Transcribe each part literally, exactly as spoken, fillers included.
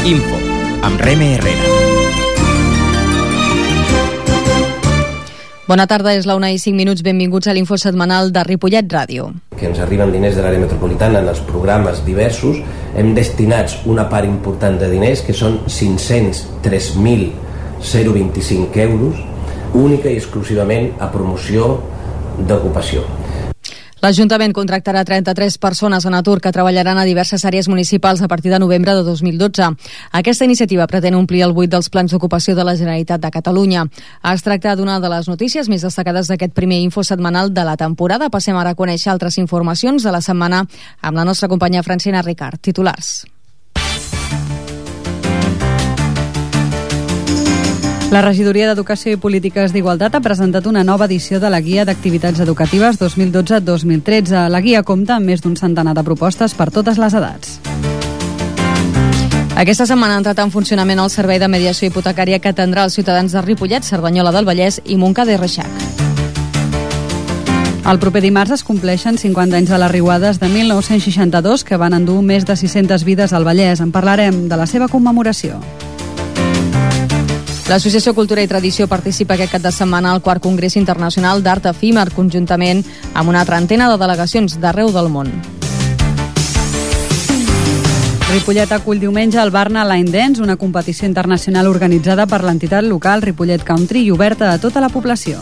Info, amb Reme Herrera. Bona tarda, és la una i cinc minuts. Benvinguts a l'Info setmanal de Ripollet Ràdio. Que ens arriben diners de l'àrea metropolitana en els programes diversos. Hem destinats una part important de diners, que són cinc-cents tres mil vint-i-cinc euros, única i exclusivament a promoció d'ocupació. L'Ajuntament contractarà trenta-tres persones en atur que treballaran a diverses àrees municipals a partir de novembre de dos mil dotze. Aquesta iniciativa pretén omplir el buit dels plans d'ocupació de la Generalitat de Catalunya. Es tracta d'una de les notícies més destacades d'aquest primer info setmanal de la temporada. Passem ara a conèixer altres informacions de la setmana amb la nostra companya Francina Ricard. Titulars. La Regidoria d'Educació i Polítiques d'Igualtat ha presentat una nova edició de la Guia d'Activitats Educatives dos mil dotze dos mil tretze. La guia compta amb més d'un centenar de propostes per totes les edats. Aquesta setmana ha entrat en funcionament el servei de mediació hipotecària que atendrà els ciutadans de Ripollet, Cerdanyola del Vallès i Montcada i Reixac. El proper dimarts es compleixen cinquanta anys de les riuades de mil nou-cents seixanta-dos que van endur més de sis-centes vides al Vallès. En parlarem de la seva commemoració. L'Associació Cultura i Tradició participa aquest cap de setmana al quart Congrés Internacional d'Art Efímer, conjuntament amb una trentena de delegacions d'arreu del món. Ripollet acull diumenge el Barna Line Dance, una competició internacional organitzada per l'entitat local Ripollet Country i oberta a tota la població.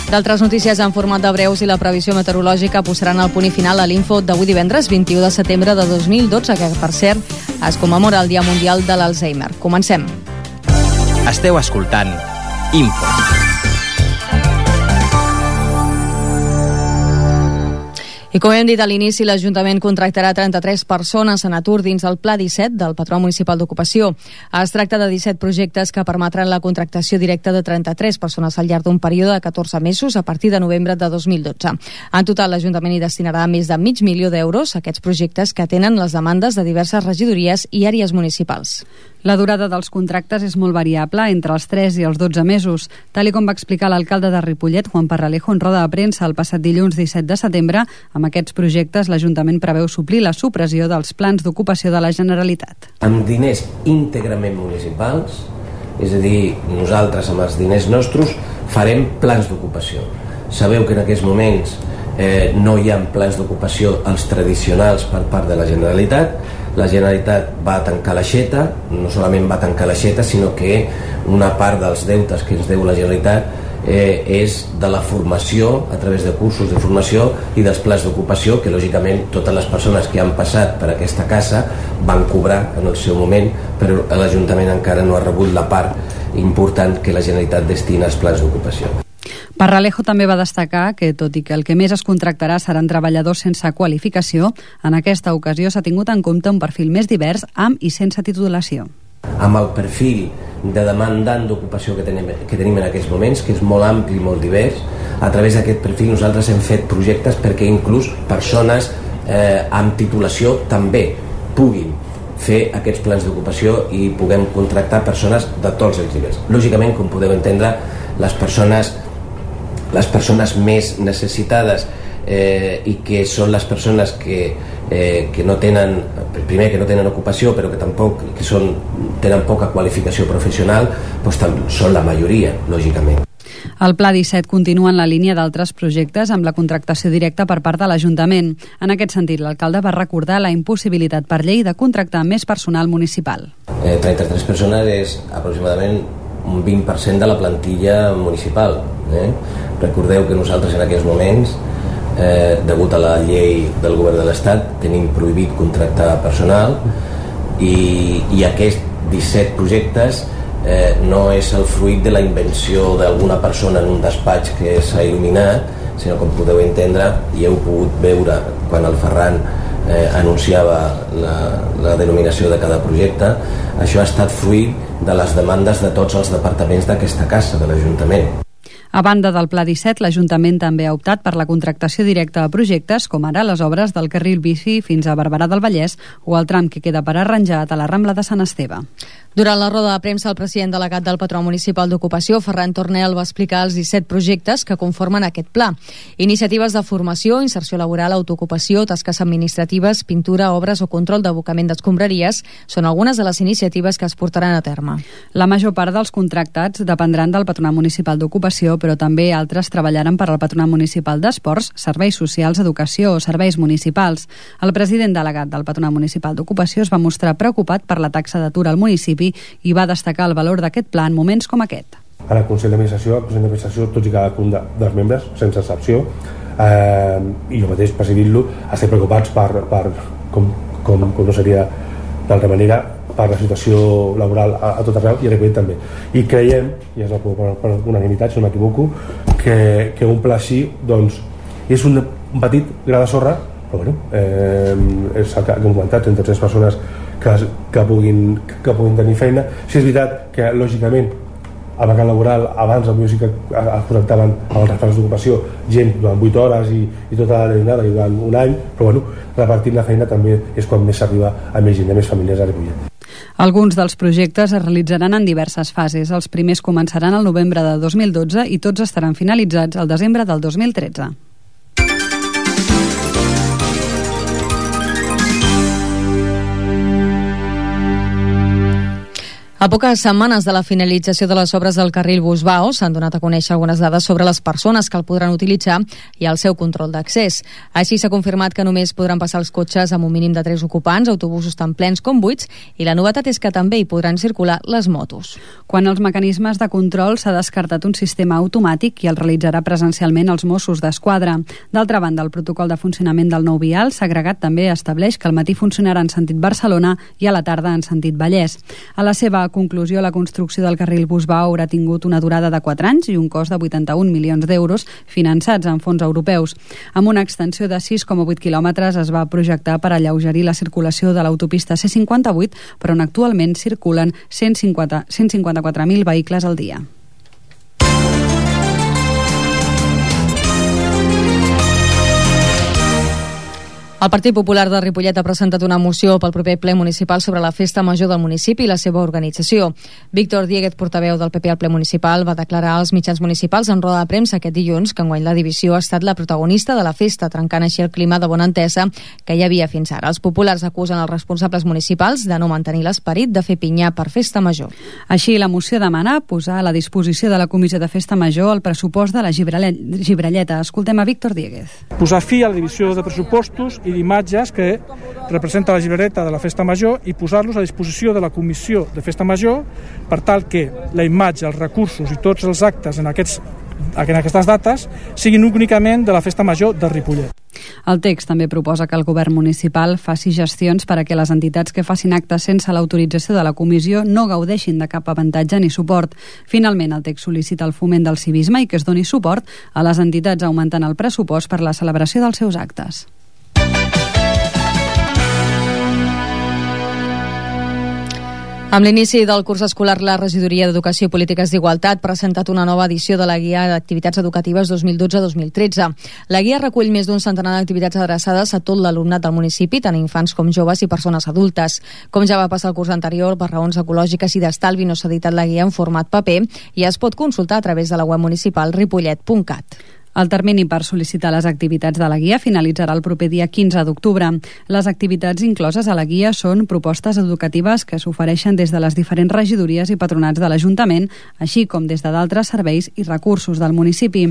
D'altres notícies en format de breus i la previsió meteorològica posaran el punt i final a l'info d'avui divendres vint-i-u de setembre de dos mil dotze, que per cert es commemora el Dia Mundial de l'Alzheimer. Comencem. Esteu escoltant Info. I com hem dit a l'inici, l'Ajuntament contractarà trenta-tres persones en atur dins el Pla disset del Patró Municipal d'Ocupació. Es tracta de disset projectes que permetran la contractació directa de trenta-tres persones al llarg d'un període de catorze mesos a partir de novembre de dos mil dotze. En total, l'Ajuntament hi destinarà més de mig milió d'euros a aquests projectes que atenen les demandes de diverses regidories i àrees municipals. La durada dels contractes és molt variable, entre els tres i els dotze mesos. Tal i com va explicar l'alcalde de Ripollet, Juan Parralejo, en roda de premsa el passat dilluns disset de setembre, amb aquests projectes l'Ajuntament preveu suplir la supressió dels plans d'ocupació de la Generalitat. Amb diners íntegrament municipals, és a dir, nosaltres amb els diners nostres farem plans d'ocupació. Sabeu que en aquests moments eh, no hi ha plans d'ocupació els tradicionals per part de la Generalitat. La Generalitat va tancar l'aixeta, no solament va tancar l'aixeta, sinó que una part dels deutes que ens deu la Generalitat eh, és de la formació, a través de cursos de formació i dels plans d'ocupació, que lògicament totes les persones que han passat per aquesta casa van cobrar en el seu moment, però l'Ajuntament encara no ha rebut la part important que la Generalitat destina als plans d'ocupació. Parralejo també va destacar que, tot i que el que més es contractarà seran treballadors sense qualificació, en aquesta ocasió s'ha tingut en compte un perfil més divers, amb i sense titulació. Amb el perfil de demandant d'ocupació que tenim, que tenim en aquests moments, que és molt ampli i molt divers, a través d'aquest perfil nosaltres hem fet projectes perquè inclús persones eh, amb titulació també puguin fer aquests plans d'ocupació i puguem contractar persones de tots els nivells. Lògicament, com podeu entendre, les persones les persones més necessitades eh, i que són les persones que, eh, que no tenen, primer que no tenen ocupació, però que tampoc que són, tenen poca qualificació professional, doncs són la majoria, lògicament. El Pla disset continua en la línia d'altres projectes amb la contractació directa per part de l'Ajuntament. En aquest sentit, l'alcalde va recordar la impossibilitat per llei de contractar més personal municipal. Eh, trenta-tres persones és aproximadament un vint per cent de la plantilla municipal. Eh? Recordeu que nosaltres en aquests moments, eh, degut a la llei del govern de l'Estat, tenim prohibit contractar personal i, i aquests disset projectes eh, no és el fruit de la invenció d'alguna persona en un despatx que s'ha il·luminat, sinó, com podeu entendre, i heu pogut veure quan el Ferran eh, anunciava la, la denominació de cada projecte, això ha estat fruit de les demandes de tots els departaments d'aquesta casa, de l'Ajuntament. A banda del Pla disset, l'Ajuntament també ha optat per la contractació directa de projectes, com ara les obres del carril bici fins a Barberà del Vallès o el tram que queda per arranjat a la Rambla de Sant Esteve. Durant la roda de premsa, el president delegat del Patronat Municipal d'Ocupació, Ferran Tornel, va explicar els disset projectes que conformen aquest pla. Iniciatives de formació, inserció laboral, autoocupació, tasques administratives, pintura, obres o control d'abocament d'escombraries són algunes de les iniciatives que es portaran a terme. La major part dels contractats dependran del Patronat Municipal d'Ocupació, però també altres treballaran per al Patronat Municipal d'Esports, Serveis Socials, Educació o Serveis Municipals. El president delegat del Patronat Municipal d'Ocupació es va mostrar preocupat per la taxa d'atur al municipi i va destacar el valor d'aquest pla en moments com aquest. A la Consell d'Administració, al Consell d'Administració, tots i cadascun de, dels membres, sense excepció, eh, i jo mateix presidint-lo, estem preocupats per, per com, com, com no seria d'altra manera, per la situació laboral a, a tot arreu i a Ripollet també. I creiem, i és per, per unanimitat, si no m'equivoco, que, que un pla així doncs, és un, un petit gra de sorra, però bueno, eh, és el que hem comentat, trenta tres persones que, que, puguin, que puguin tenir feina. Si és veritat que lògicament al mercat laboral abans potser sí que es connectaven amb els referents d'ocupació gent durant vuit hores i, i tota la jornada i durant un any, però bueno, repartint la feina també és quan més s'arriba a més gent, a més famílies a Ripollet. Alguns dels projectes es realitzaran en diverses fases. Els primers començaran el novembre de dos mil dotze i tots estaran finalitzats al desembre del dos mil tretze. A poques setmanes de la finalització de les obres del carril Busbao s'han donat a conèixer algunes dades sobre les persones que el podran utilitzar i el seu control d'accés. Així s'ha confirmat que només podran passar els cotxes amb un mínim de tres ocupants, autobusos tan plens com buits, i la novetat és que també hi podran circular les motos. Quan els mecanismes de control s'ha descartat un sistema automàtic i el realitzarà presencialment els Mossos d'Esquadra. D'altra banda, el protocol de funcionament del nou vial segregat també estableix que al matí funcionarà en sentit Barcelona i a la tarda en sentit Vallès. A la seva conclusió, la construcció del carril Busbao haurà tingut una durada de quatre anys i un cost de vuitanta-un milions d'euros finançats en fons europeus. Amb una extensió de sis coma vuit quilòmetres es va projectar per alleugerir la circulació de l'autopista C cinquanta-vuit, però on actualment circulen cent cinquanta-quatre mil vehicles al dia. El Partit Popular de Ripollet ha presentat una moció pel proper ple municipal sobre la festa major del municipi i la seva organització. Víctor Dieguez, portaveu del P P al ple municipal, va declarar als mitjans municipals en roda de premsa aquest dilluns que enguany la divisió ha estat la protagonista de la festa, trencant així el clima de bona entesa que hi havia fins ara. Els populars acusen els responsables municipals de no mantenir l'esperit de fer pinyar per festa major. Així, la moció demana posar a la disposició de la Comissió de Festa Major el pressupost de la Gibralleta. Escoltem a Víctor Dieguez. Posar fi a la divisió de pressupostos i d'imatges que representa la gibraleta de la Festa Major i posar-los a disposició de la Comissió de Festa Major per tal que la imatge, els recursos i tots els actes en, aquests, en aquestes dates siguin únicament de la Festa Major de Ripollet. El text també proposa que el govern municipal faci gestions per a que les entitats que facin actes sense l'autorització de la comissió no gaudeixin de cap avantatge ni suport. Finalment, el text sol·licita el foment del civisme i que es doni suport a les entitats augmentant el pressupost per a la celebració dels seus actes. Amb l'inici del curs escolar, la Regidoria d'Educació i Polítiques d'Igualtat ha presentat una nova edició de la Guia d'Activitats Educatives dos mil dotze dos mil tretze. La guia recull més d'un centenar d'activitats adreçades a tot l'alumnat del municipi, tant infants com joves i persones adultes. Com ja va passar el curs anterior, per raons ecològiques i d'estalvi no s'ha editat la guia en format paper i es pot consultar a través de la web municipal ripollet punt cat. El termini per sol·licitar les activitats de la guia finalitzarà el proper dia quinze d'octubre. Les activitats incloses a la guia són propostes educatives que s'ofereixen des de les diferents regidories i patronats de l'Ajuntament, així com des de d'altres serveis i recursos del municipi.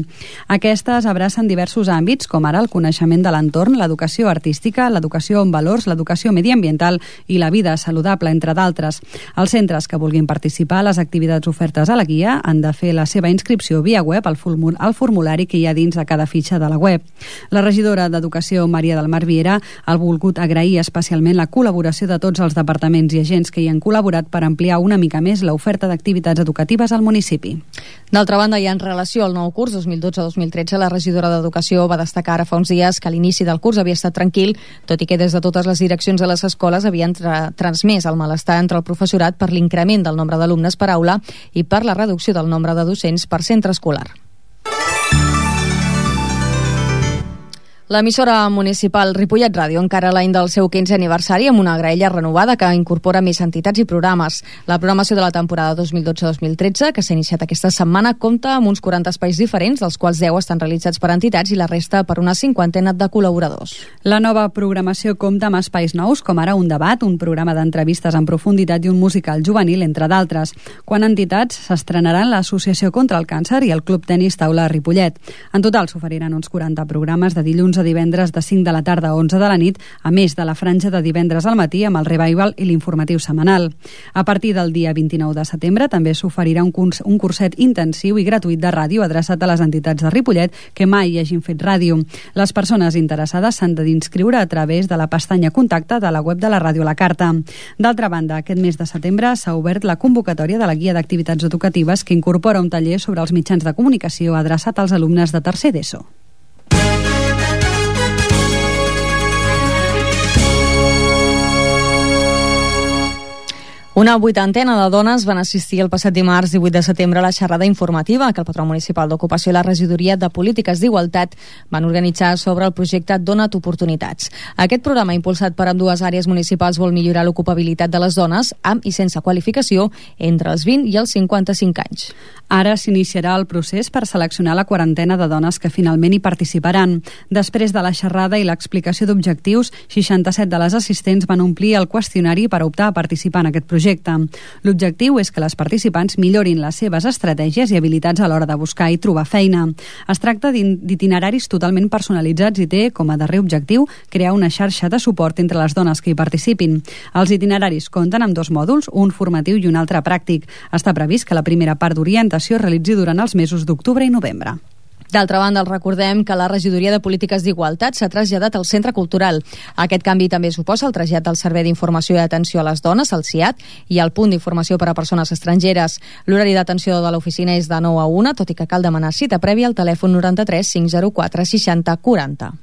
Aquestes abracen diversos àmbits, com ara el coneixement de l'entorn, l'educació artística, l'educació en valors, l'educació mediambiental i la vida saludable, entre d'altres. Els centres que vulguin participar a les activitats ofertes a la guia han de fer la seva inscripció via web al formulari que hi ha dins de cada fitxa de la web. La regidora d'Educació, Maria del Mar Viera, ha volgut agrair especialment la col·laboració de tots els departaments i agents que hi han col·laborat per ampliar una mica més l'oferta d'activitats educatives al municipi. D'altra banda, i en relació al nou curs dos mil dotze dos mil tretze, la regidora d'Educació va destacar ara fa uns dies que l'inici del curs havia estat tranquil, tot i que des de totes les direccions de les escoles havien tra transmès el malestar entre el professorat per l'increment del nombre d'alumnes per aula i per la reducció del nombre de docents per centre escolar. L'emissora municipal Ripollet Ràdio encara l'any del seu quinzè aniversari amb una graella renovada que incorpora més entitats i programes. La programació de la temporada dos mil dotze dos mil tretze, que s'ha iniciat aquesta setmana, compta amb uns quaranta espais diferents, dels quals deu estan realitzats per entitats i la resta per una cinquantena de col·laboradors. La nova programació compta amb espais nous, com ara un debat, un programa d'entrevistes en profunditat i un musical juvenil, entre d'altres. Quan entitats s'estrenaran l'Associació contra el Càncer i el Club Tenis Taula Ripollet. En total s'oferiran uns quaranta programes de dilluns a divendres de cinc de la tarda a onze de la nit, a més de la franja de divendres al matí amb el revival i l'informatiu setmanal. A partir del dia vint-i-nou de setembre també s'oferirà un, curs, un curset intensiu i gratuït de ràdio adreçat a les entitats de Ripollet que mai hagin fet ràdio. Les persones interessades s'han d'inscriure a través de la pestanya Contacte de la web de la ràdio a la carta. D'altra banda, aquest mes de setembre s'ha obert la convocatòria de la guia d'activitats educatives que incorpora un taller sobre els mitjans de comunicació adreçat als alumnes de tercer d'ESO. Una vuitantena de dones van assistir el passat dimarts divuit de setembre a la xerrada informativa que el Patró Municipal d'Ocupació i la Regidoria de Polítiques d'Igualtat van organitzar sobre el projecte Dona't Oportunitats. Aquest programa, impulsat per ambdues àrees municipals, vol millorar l'ocupabilitat de les dones amb i sense qualificació entre els vint i els cinquanta-cinc anys. Ara s'iniciarà el procés per seleccionar la quarantena de dones que finalment hi participaran. Després de la xerrada i l'explicació d'objectius, seixanta-set de les assistents van omplir el qüestionari per optar a participar en aquest projecte. L'objectiu és que les participants millorin les seves estratègies i habilitats a l'hora de buscar i trobar feina. Es tracta d'itineraris totalment personalitzats i té com a darrer objectiu crear una xarxa de suport entre les dones que hi participin. Els itineraris compten amb dos mòduls, un formatiu i un altre pràctic. Està previst que la primera part d'orientació es realitzi durant els mesos d'octubre i novembre. D'altra banda, els recordem que la Regidoria de Polítiques d'Igualtat s'ha traslladat al Centre Cultural. Aquest canvi també suposa el trasllat del Servei d'Informació i Atenció a les Dones, el C I A T, i el Punt d'Informació per a Persones Estrangeres. L'horari d'atenció de l'oficina és de nou a una, tot i que cal demanar cita prèvia al telèfon noranta-tres cinc zero quatre seixanta quaranta.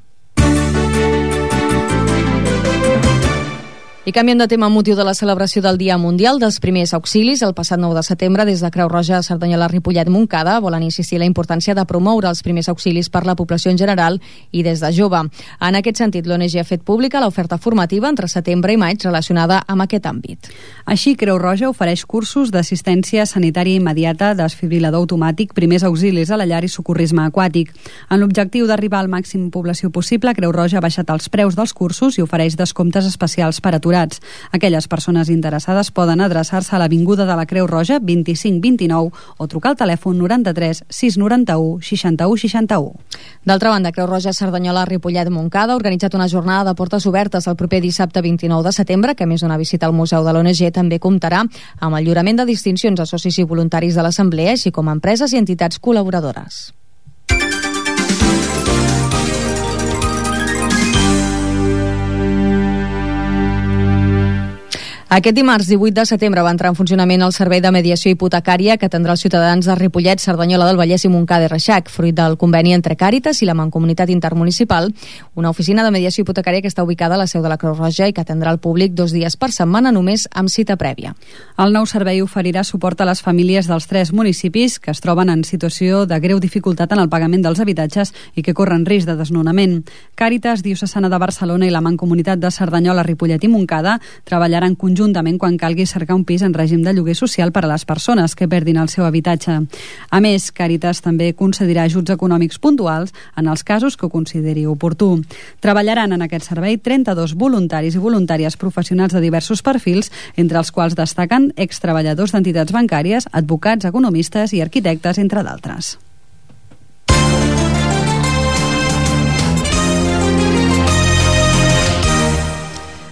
I canviem de tema amb motiu de la celebració del Dia Mundial dels Primers Auxilis. El passat nou de setembre, des de Creu Roja, Cerdanyola, Ripollet, Montcada, volen insistir en la importància de promoure els primers auxilis per la població en general i des de jove. En aquest sentit, l'O N G ha fet pública l'oferta formativa entre setembre i maig relacionada amb aquest àmbit. Així, Creu Roja ofereix cursos d'assistència sanitària immediata, desfibrilador automàtic, primers auxilis a la llar i socorrisme aquàtic. En l'objectiu d'arribar al màxim població possible, Creu Roja ha baixat els preus dels cursos i ofereix descomptes especials per aturats. Aquelles persones interessades poden adreçar-se a l'Avinguda de la Creu Roja vint-i-cinc vint-i-nou o trucar al telèfon noranta-tres sis noranta-u seixanta-u seixanta-u. D'altra banda, Creu Roja, Cerdanyola, Ripollet, Montcada ha organitzat una jornada de portes obertes el proper dissabte vint-i-nou de setembre, que a més d'una visita al Museu de l'O N G també comptarà amb el lliurament de distincions a socis i voluntaris de l'Assemblea, així com a empreses i entitats col·laboradores. Aquest dimarts divuit de setembre va entrar en funcionament el Servei de Mediació Hipotecària que atendrà els ciutadans de Ripollet, Cerdanyola del Vallès i Montcada i Reixac, fruit del conveni entre Càritas i la Mancomunitat Intermunicipal, una oficina de mediació hipotecària que està ubicada a la seu de la Creu Roja i que atendrà el públic dos dies per setmana només amb cita prèvia. El nou servei oferirà suport a les famílies dels tres municipis que es troben en situació de greu dificultat en el pagament dels habitatges i que corren risc de desnonament. Càritas Diocesana de Barcelona i la Mancomunitat de Cerdanyola, Ripollet i Montcada treballaran conjuntament juntament quan calgui cercar un pis en règim de lloguer social per a les persones que perdin el seu habitatge. A més, Càritas també concedirà ajuts econòmics puntuals en els casos que ho consideri oportú. Treballaran en aquest servei trenta-dos voluntaris i voluntàries professionals de diversos perfils, entre els quals destaquen extreballadors d'entitats bancàries, advocats, economistes i arquitectes, entre d'altres.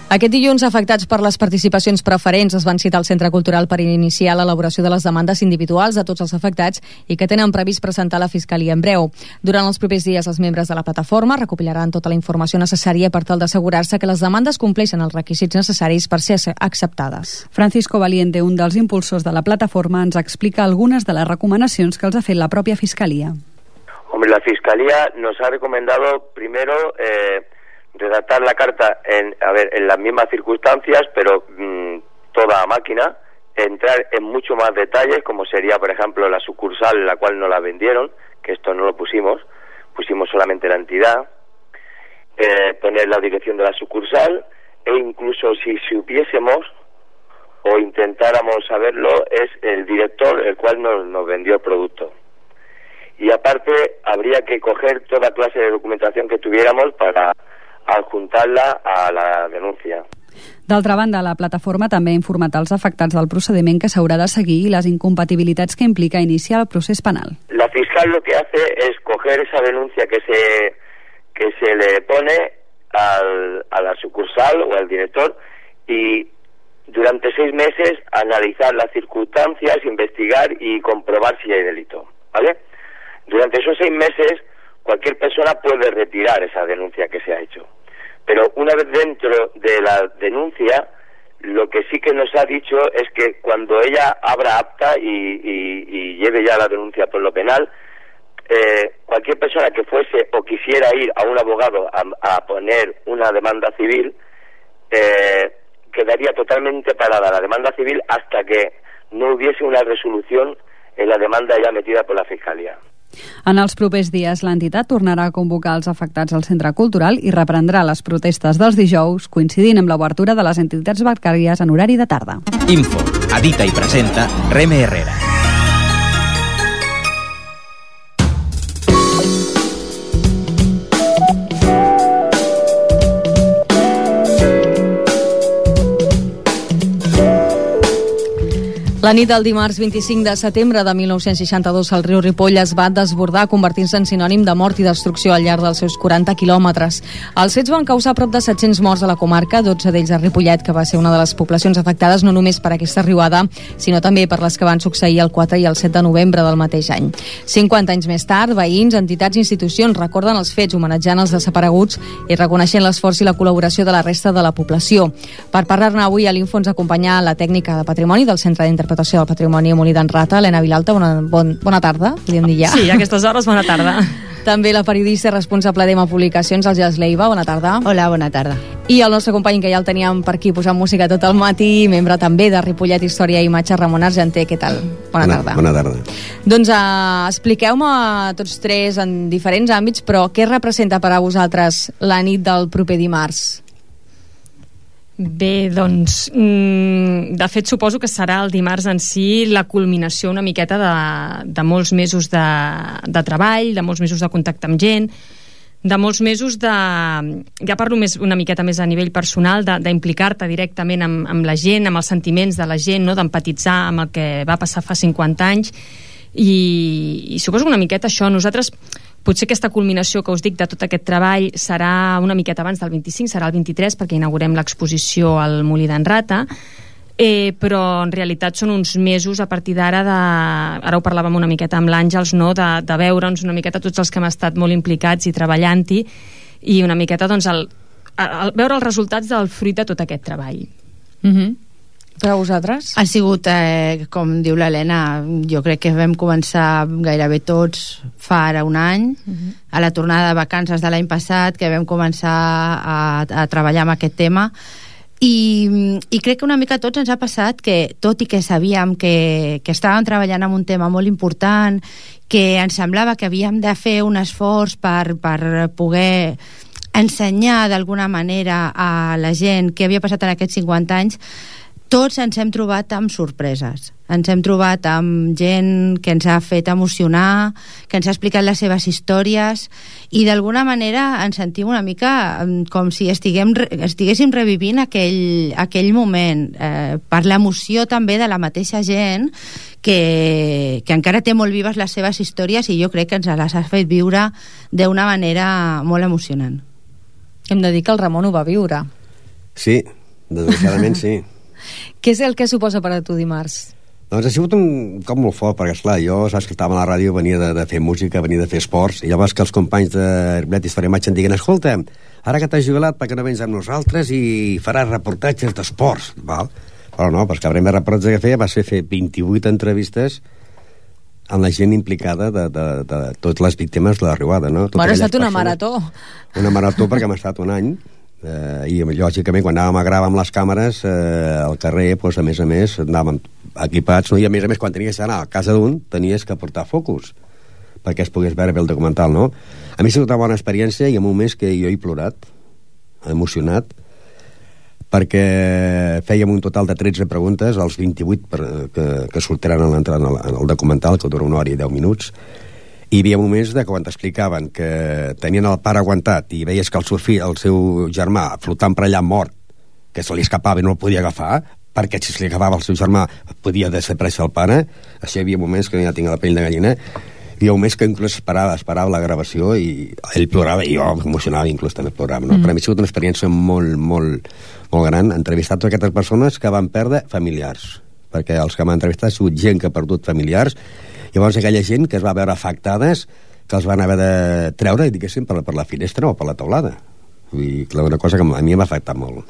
Aquest dilluns, afectats per les participacions preferents es van citar al Centre Cultural per iniciar l'elaboració de les demandes individuals a tots els afectats i que tenen previst presentar a la Fiscalia en breu. Durant els propers dies, els membres de la plataforma recopilaran tota la informació necessària per tal d'assegurar-se que les demandes compleixen els requisits necessaris per ser acceptades. Francisco Valiente, un dels impulsors de la plataforma, ens explica algunes de les recomanacions que els ha fet la pròpia Fiscalia. Hombre, la Fiscalía nos ha recomendado primero eh, redactar la carta en, a ver, en las mismas circunstancias, pero mmm, toda a máquina, entrar en mucho más detalles, como sería, por ejemplo, la sucursal en la cual no la vendieron, que esto no lo pusimos, pusimos solamente la entidad, eh, poner la dirección de la sucursal, e incluso si supiésemos o intentáramos saberlo, es el director el cual nos, nos vendió el producto. Y aparte habría que coger toda clase de documentación que tuviéramos para adjuntarla a la denuncia. D'altra banda, la plataforma també ha informat als afectats del procediment que s'haurà de seguir i les incompatibilitats que implica iniciar el procés penal. La fiscal lo que hace es coger esa denuncia que se, que se le pone al, a la sucursal o al director y durante seis meses analizar las circunstancias, investigar y comprobar si hay delito, ¿vale? Durante esos seis meses cualquier persona puede retirar esa denuncia que se ha hecho. Pero una vez dentro de la denuncia, lo que sí que nos ha dicho es que cuando ella abra acta y, y, y lleve ya la denuncia por lo penal, eh, cualquier persona que fuese o quisiera ir a un abogado a, a poner una demanda civil, eh, quedaría totalmente parada la demanda civil hasta que no hubiese una resolución en la demanda ya metida por la Fiscalía. En els propers dies, l'entitat tornarà a convocar els afectats al centre cultural i reprendrà les protestes dels dijous, coincidint amb l'obertura de les entitats bancàries en horari de tarda. Info, edita i presenta Reme Herrera. La nit del dimarts vint-i-cinc de setembre de mil nou-cents seixanta-dos el riu Ripoll es va desbordar convertint-se en sinònim de mort i destrucció al llarg dels seus quaranta quilòmetres. Els fets van causar prop de set-cents morts a la comarca, dotze d'ells a Ripollet, que va ser una de les poblacions afectades no només per aquesta riuada, sinó també per les que van succeir el quatre i el set de novembre del mateix any. cinquanta anys més tard, veïns, entitats i institucions recorden els fets homenatjant els desapareguts i reconeixent l'esforç i la col·laboració de la resta de la població. Per parlar-ne avui a l'Info ens acompanya la tècnica de patrimoni del Centre d'Interpretació del Patrimoni Molí d'en Rata, Helena Vilalta. Bona, bon, bona tarda, podríem dir ja. Sí, a aquestes hores, bona tarda. També la periodista responsable d'Ema Publicacions, el Jas Leiva. Bona tarda. Hola, bona tarda. I el nostre company, que ja el teníem per aquí posant música tot el matí, membre també de Ripollet Història i Imatge, Ramon Argenter. Què tal? Bona, bona tarda. Bona tarda. Doncs uh, expliqueu-me tots tres en diferents àmbits, però què representa per a vosaltres la nit del proper dimarts? Bé, doncs, de fet suposo que serà el dimarts en si la culminació una miqueta de, de molts mesos de, de treball, de molts mesos de contacte amb gent, de molts mesos de... Ja parlo més, una miqueta més a nivell personal, d'implicar-te directament amb, amb la gent, amb els sentiments de la gent, no? D'empatitzar amb el que va passar fa cinquanta anys, i, i suposo una miqueta això. Nosaltres... Potser aquesta culminació que us dic de tot aquest treball serà una miqueta abans del vint-i-cinc, serà el vint-i-tres, perquè inaugurem l'exposició al Molí d'en Rata, eh, però en realitat són uns mesos a partir d'ara, de, ara ho parlàvem una miqueta amb l'Àngels, no? de, de veure'ns una miqueta tots els que hem estat molt implicats i treballant-hi, i una miqueta doncs, el, el, veure els resultats del fruit de tot aquest treball. Mhm. Per a vosaltres? Ha sigut, eh, com diu l'Helena, jo crec que vam començar gairebé tots fa ara un any, uh-huh. a la tornada de vacances de l'any passat, que vam començar a, a treballar amb aquest tema, i, i crec que una mica a tots ens ha passat que, tot i que sabíem que, que estàvem treballant en un tema molt important, que ens semblava que havíem de fer un esforç per, per poder ensenyar d'alguna manera a la gent què havia passat en aquests cinquanta anys, tots ens hem trobat amb sorpreses. Ens hem trobat amb gent que ens ha fet emocionar, que ens ha explicat les seves històries, i d'alguna manera ens sentim una mica com si estiguem, estiguéssim revivint aquell, aquell moment, eh, per l'emoció també de la mateixa gent que, que encara té molt vives les seves històries, i jo crec que ens les ha fet viure d'una manera molt emocionant. Hem de dir que el Ramon ho va viure. Sí, desgraciadament sí. Què és el que suposa per a tu dimarts? Doncs ha sigut un cop molt fort, perquè esclar, jo saps que estava a la ràdio, venia de, de fer música, venia de fer esports, i llavors que els companys de Ripollet Història i Imatge em diguen: escolta, ara que t'has jubilat, perquè no vens amb nosaltres i faràs reportatges d'esports, val? Però no, perquè el primer reportatge que feia va ser fer vint-i-vuit entrevistes amb la gent implicada de, de, de, de totes les víctimes de la riuada, no? Bueno, ha estat una marató. Una marató perquè hem estat un any. Eh, i lògicament quan anàvem a gravar amb les càmeres eh, al carrer, doncs, a més a més anàvem equipats, no? I a més a més quan tenies que anar a casa d'un tenies que portar focus, perquè es pogués veure bé el documental, no? A mi ha sigut una bona experiència i en moments que jo he plorat, emocionat, perquè fèiem un total de tretze preguntes als vint-i-vuit per, que, que sortiran en, en, el, en el documental, que dura una hora i deu minuts, i hi havia moments de quan t'explicaven que tenien el pare aguantat i veies que el seu fill, el seu germà, flotant per allà mort, que se li escapava i no el podia agafar, perquè si se li agafava el seu germà podia desaparèixer el pare. Això hi havia moments que ja tinc la pell de gallina. Hi havia moments que inclús esperava, esperava la gravació i ell plorava i jo emocionava, inclús també plorava, no? Mm. Per a mi ha sigut una experiència molt, molt, molt gran, entrevistar totes aquestes persones que van perdre familiars, perquè els que m'han entrevistat ha sigut gent que ha perdut familiars. Llavors aquella gent que es va veure afectades, que els van haver de treure, diguéssim, per, per la finestra o per la teulada. Vull dir, una cosa que a mi m'ha afectat molt.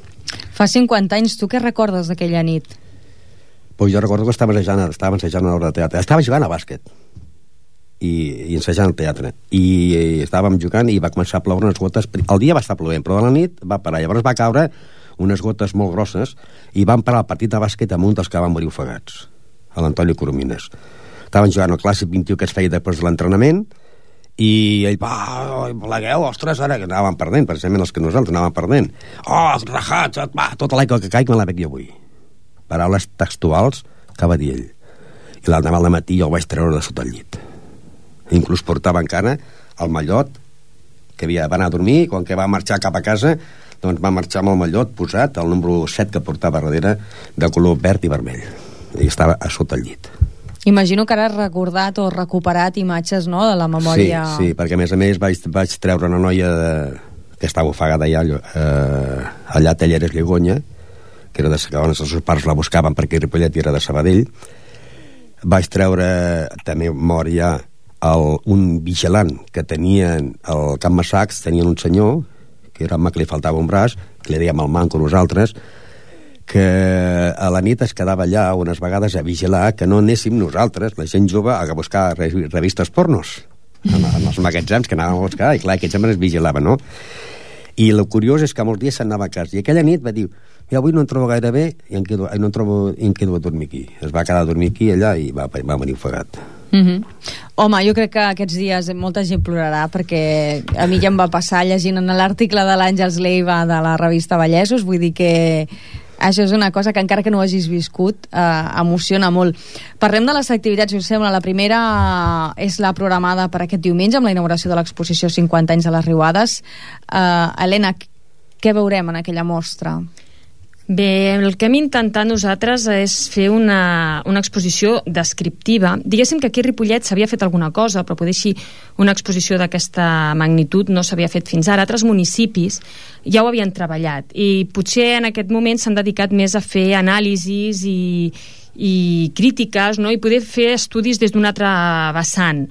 Fa cinquanta anys, tu què recordes d'aquella nit? Pues jo recordo que estava ensejant, estava ensejant una obra de teatre. Estava jugant a bàsquet i, i ensejant al teatre. I, i estàvem jugant i va començar a ploure unes gotes. El dia va estar plovent, però a la nit va parar. Llavors va caure unes gotes molt grosses i van parar el partit de bàsquet amb un dels que van morir ofegats, a l'Antonio Coromines. Estaven jugant el clàssic vint i u que es feia després de l'entrenament i ell, va, plegueu, ostres, ara que anàvem perdent, precisament els que nosaltres anàvem perdent. Oh, rajats, va, tota l'aigua que caic me la bec jo avui. Paraules textuals que va dir ell. I l'endemà al matí jo el vaig treure de sota el llit. Inclús portava encara el mallot que havia d'anar a dormir, quan que va marxar cap a casa, doncs va marxar amb el mallot posat, el número set que portava darrere, de color verd i vermell. I estava a sota el llit. Imagino que ara has recordat o recuperat imatges, no?, de la memòria... Sí, sí, perquè a més a més vaig, vaig treure una noia de, que estava ofegada allà, eh, allà a Talleres Llegonya, que era de on els seus pares la buscaven perquè Ripollet era de Sabadell. Vaig treure, també mort ja, el, un vigilant que tenien al Camp Massacs, tenien un senyor, que era home que li faltava un braç, que li dèiem el manco nosaltres, que a la nit es quedava allà unes vegades a vigilar que no anéssim nosaltres, la gent jove, a buscar revistes pornos en, en els magatzems que anàvem a buscar, i clar, aquests homes es vigilaven, no? I el curiós és que molts dies s'anava a casa, i aquella nit va dir, ja avui no em trobo gaire bé i em quedo, no em trobo, i em quedo a dormir aquí. Es va quedar a dormir aquí allà i va, va venir ofegat. Mm-hmm. Home, jo crec que aquests dies molta gent plorarà, perquè a mi ja em va passar llegint en l'article de l'Àngels Leiva de la revista Vallesos, vull dir que això és una cosa que encara que no ho hagis viscut eh, emociona molt. Parlem de les activitats, si us sembla. La primera eh, és la programada per aquest diumenge amb la inauguració de l'exposició cinquanta anys de les Riuades. eh, Helena, què veurem en aquella mostra? Bé, el que hem intentat nosaltres és fer una, una exposició descriptiva. Diguéssim que aquí a Ripollet s'havia fet alguna cosa, però poder així una exposició d'aquesta magnitud no s'havia fet fins ara. Altres municipis ja ho havien treballat i potser en aquest moment s'han dedicat més a fer anàlisis i, i crítiques, no? I poder fer estudis des d'un altre vessant.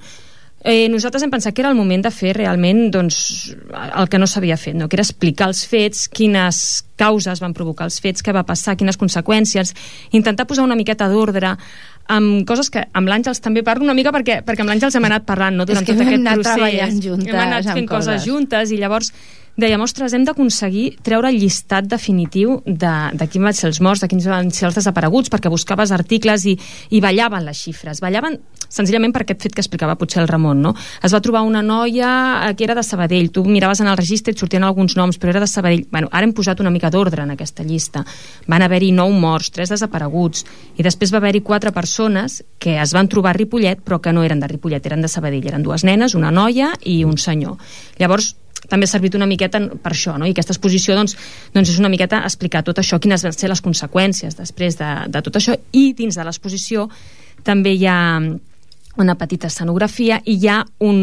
Eh, nosaltres hem pensat que era el moment de fer realment doncs, el que no s'havia fet, no? Que era explicar els fets, quines causes van provocar els fets, què va passar, quines conseqüències, intentar posar una miqueta d'ordre amb coses que amb l'Àngels també parlo una mica perquè, perquè amb l'Àngels hem anat parlant, no? Durant tot aquest procés juntes, hem anat fent coses. coses juntes i llavors dèiem, ostres, hem d'aconseguir treure el llistat definitiu de, de quins van ser els morts, de quins van ser els desapareguts, perquè buscaves articles i, i ballaven les xifres. Ballaven senzillament per aquest fet que explicava potser el Ramon, no? Es va trobar una noia que era de Sabadell, tu miraves en el registre i et sortien alguns noms, però era de Sabadell. Bueno, ara hem posat una mica d'ordre en aquesta llista. Van haver-hi nou morts, tres desapareguts, i després va haver-hi quatre persones que es van trobar a Ripollet, però que no eren de Ripollet, eren de Sabadell. Eren dues nenes, una noia i un senyor. Llavors, també ha servit una miqueta per això, no? I aquesta exposició doncs, doncs és una miqueta explicar tot això, quines van ser les conseqüències després de, de tot això, i dins de l'exposició també hi ha una petita escenografia i hi ha un,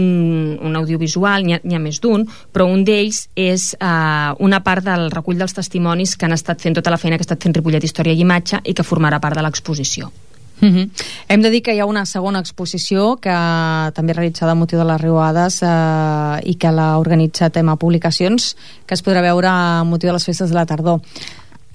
un audiovisual, n'hi ha, n'hi ha més d'un, però un d'ells és uh, una part del recull dels testimonis que han estat fent tota la feina que ha estat fent Ripollet Història i Imatge i que formarà part de l'exposició. Mm-hmm. Hem de dir que hi ha una segona exposició que també realitzada a motiu de les Riuades eh, i que l'ha organitzat Tema Publicacions, que es podrà veure a motiu de les festes de la tardor.